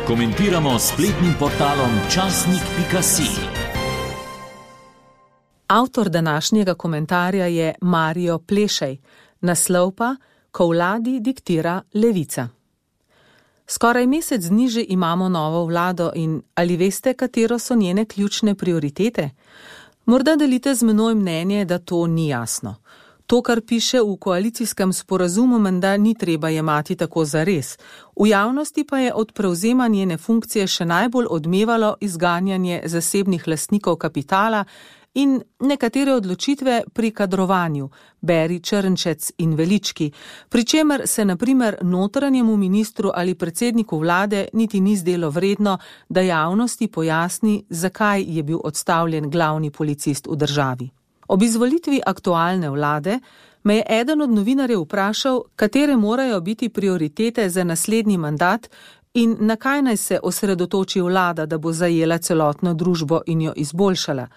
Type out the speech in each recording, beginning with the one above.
Komentiramo s spletnim portalom časnik.si. Avtor današnjega komentarja je Mario Plešej, naslov pa Ko vladi diktira levica. Skoraj mesec dni že imamo novo vlado in ali veste, katero so njene ključne prioritete? Morda delite z menoj mnenje, da to ni jasno. To, kar piše v koalicijskem sporazumu, menda ni treba jemati tako zares. V javnosti pa je od prevzema njene funkcije še najbolj odmevalo izganjanje zasebnih lastnikov kapitala in nekatere odločitve pri kadrovanju, beri Črnčec in Velički, pri čemer se na primer notranjemu ministru ali predsedniku vlade niti ni zdelo vredno, da javnosti pojasni, zakaj je bil odstavljen glavni policist v državi. Ob izvolitvi aktualne vlade me je eden od novinarjev vprašal, katere morajo biti prioritete za naslednji mandat in na kaj naj se osredotoči vlada, da bo zajela celotno družbo in jo izboljšala.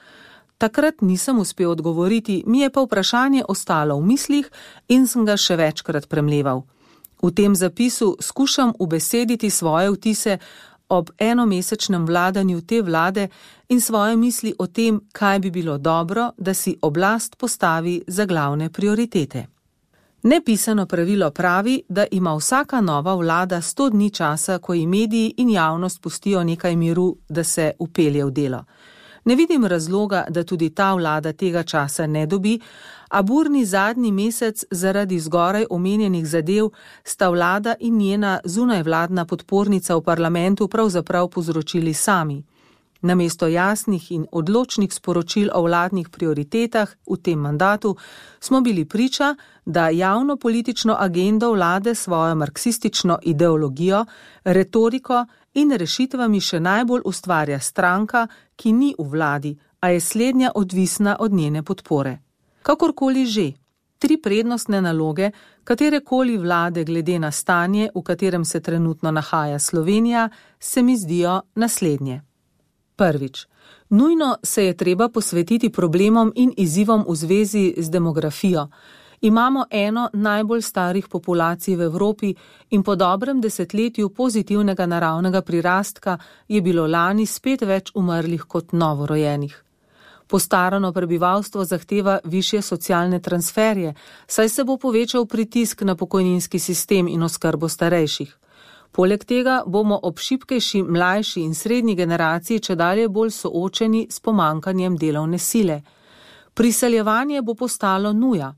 Takrat nisem uspel odgovoriti, mi je pa vprašanje ostalo v mislih in sem ga še večkrat premleval. V tem zapisu skušam ubesediti svoje vtise ob enomesečnem vladanju te vlade in svoje misli o tem, kaj bi bilo dobro, da si oblast postavi za glavne prioritete. Nepisano pravilo pravi, da ima vsaka nova vlada 100 dni časa, ko ji mediji in javnost pustijo nekaj miru, da se vpelje v delo. Ne vidim razloga, da tudi ta vlada tega časa ne dobi, a burni zadnji mesec zaradi zgoraj omenjenih zadev sta vlada in njena zunajvladna podpornica v parlamentu pravzaprav povzročili sami. Namesto jasnih in odločnih sporočil o vladnih prioritetah v tem mandatu smo bili priča, da javno politično agendo vlade svojo marksistično ideologijo, retoriko in rešitvami še najbolj ustvarja stranka, ki ni v vladi, a je slednja odvisna od njene podpore. Kakorkoli že, 3 prednostne naloge katerekoli vlade glede na stanje, v katerem se trenutno nahaja Slovenija, se mi zdijo naslednje. Prvič, nujno se je treba posvetiti problemom in izzivom v zvezi z demografijo. Imamo eno najbolj starih populacij v Evropi in po dobrem desetletju pozitivnega naravnega prirastka je bilo lani spet več umrlih kot novorojenih. Postarano prebivalstvo zahteva višje socialne transferje, saj se bo povečal pritisk na pokojninski sistem in oskrbo starejših. Poleg tega bomo ob šibkejši, mlajši in srednji generaciji čedalje bolj soočeni s pomanjkanjem delovne sile. Priseljevanje bo postalo nuja.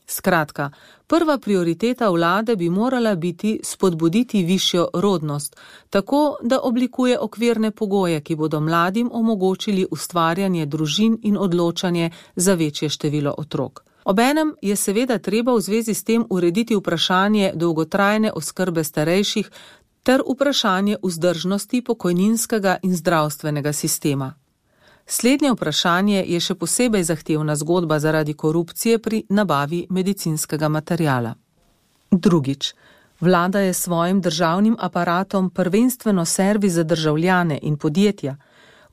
Skratka, prva prioriteta vlade bi morala biti spodbuditi višjo rodnost, tako da oblikuje okvirne pogoje, ki bodo mladim omogočili ustvarjanje družin in odločanje za večje število otrok. Obenem je seveda treba v zvezi s tem urediti vprašanje dolgotrajne oskrbe starejših ter vprašanje vzdržnosti pokojninskega in zdravstvenega sistema. Slednje vprašanje je še posebej zahtevna zgodba zaradi korupcije pri nabavi medicinskega materiala. Drugič, vlada je svojim državnim aparatom prvenstveno servis za državljane in podjetja.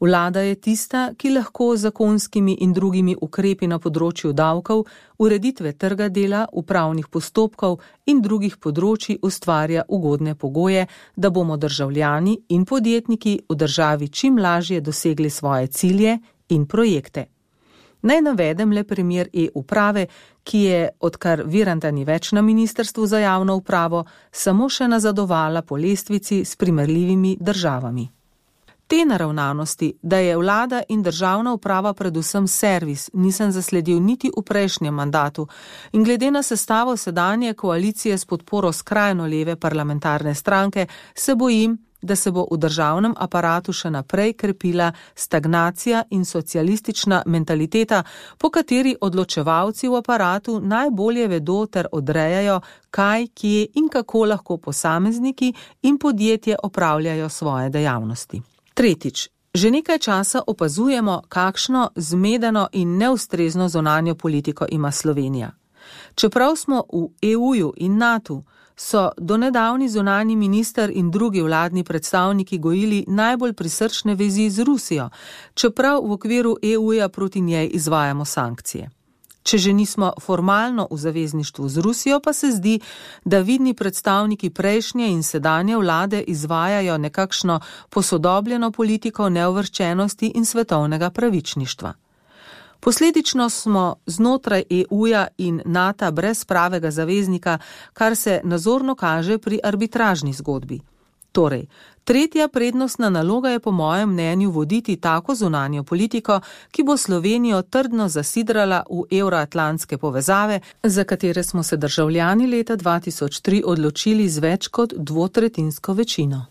Vlada je tista, ki lahko z zakonskimi in drugimi ukrepi na področju davkov, ureditve trga dela, upravnih postopkov in drugih področij ustvarja ugodne pogoje, da bomo državljani in podjetniki v državi čim lažje dosegli svoje cilje in projekte. Naj navedem le primer e-uprave, ki je, odkar Viranta ni več na Ministrstvu za javno upravo, samo še nazadovala po lestvici s primerljivimi državami. Te naravnanosti, da je vlada in državna uprava predvsem servis, nisem zasledil niti v prejšnjem mandatu in glede na sestavo sedanje koalicije s podporo skrajno leve parlamentarne stranke se bojim, da se bo v državnem aparatu še naprej krepila stagnacija in socialistična mentaliteta, po kateri odločevalci v aparatu najbolje vedo ter odrejajo, kaj, kje in kako lahko posamezniki in podjetje opravljajo svoje dejavnosti. Tretjič, že nekaj časa opazujemo, kakšno zmedeno in neustrezno zunanjo politiko ima Slovenija. Čeprav smo v EU-ju in NATO, so donedavni zunanji minister in drugi vladni predstavniki gojili najbolj prisrčne vezi z Rusijo, čeprav v okviru EU-ja proti njej izvajamo sankcije. Če že nismo formalno v zavezništvu z Rusijo, pa se zdi, da vidni predstavniki prejšnje in sedanje vlade izvajajo nekakšno posodobljeno politiko neuvrščenosti in svetovnega pravičništva. Posledično smo znotraj EU-ja in NATO brez pravega zaveznika, kar se nazorno kaže pri arbitražni zgodbi. Torej, tretja prednostna naloga je po mojem mnenju voditi tako zunanjo politiko, ki bo Slovenijo trdno zasidrala v evroatlantske povezave, za katere smo se državljani leta 2003 odločili z več kot dvotretjinsko večino.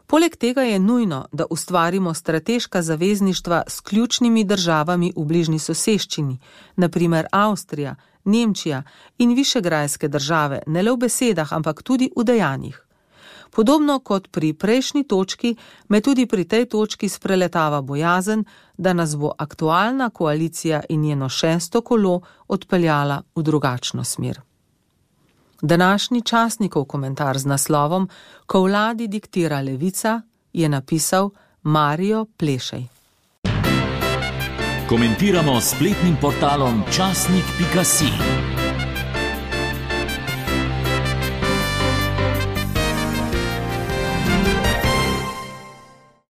Poleg tega je nujno, da ustvarimo strateška zavezništva s ključnimi državami v bližnji soseščini, na primer Avstrija, Nemčija in višegrajske države, ne le v besedah, ampak tudi v dejanjih. Podobno kot pri prejšnji točki, me tudi pri tej točki spreletava bojazen, da nas bo aktualna koalicija in njeno 6. kolo odpeljala v drugačno smer. Današnji časnikov komentar z naslovom Ko vladi diktira levica je napisal Mario Plešej. Komentiramo s spletnim portalom časnik.si.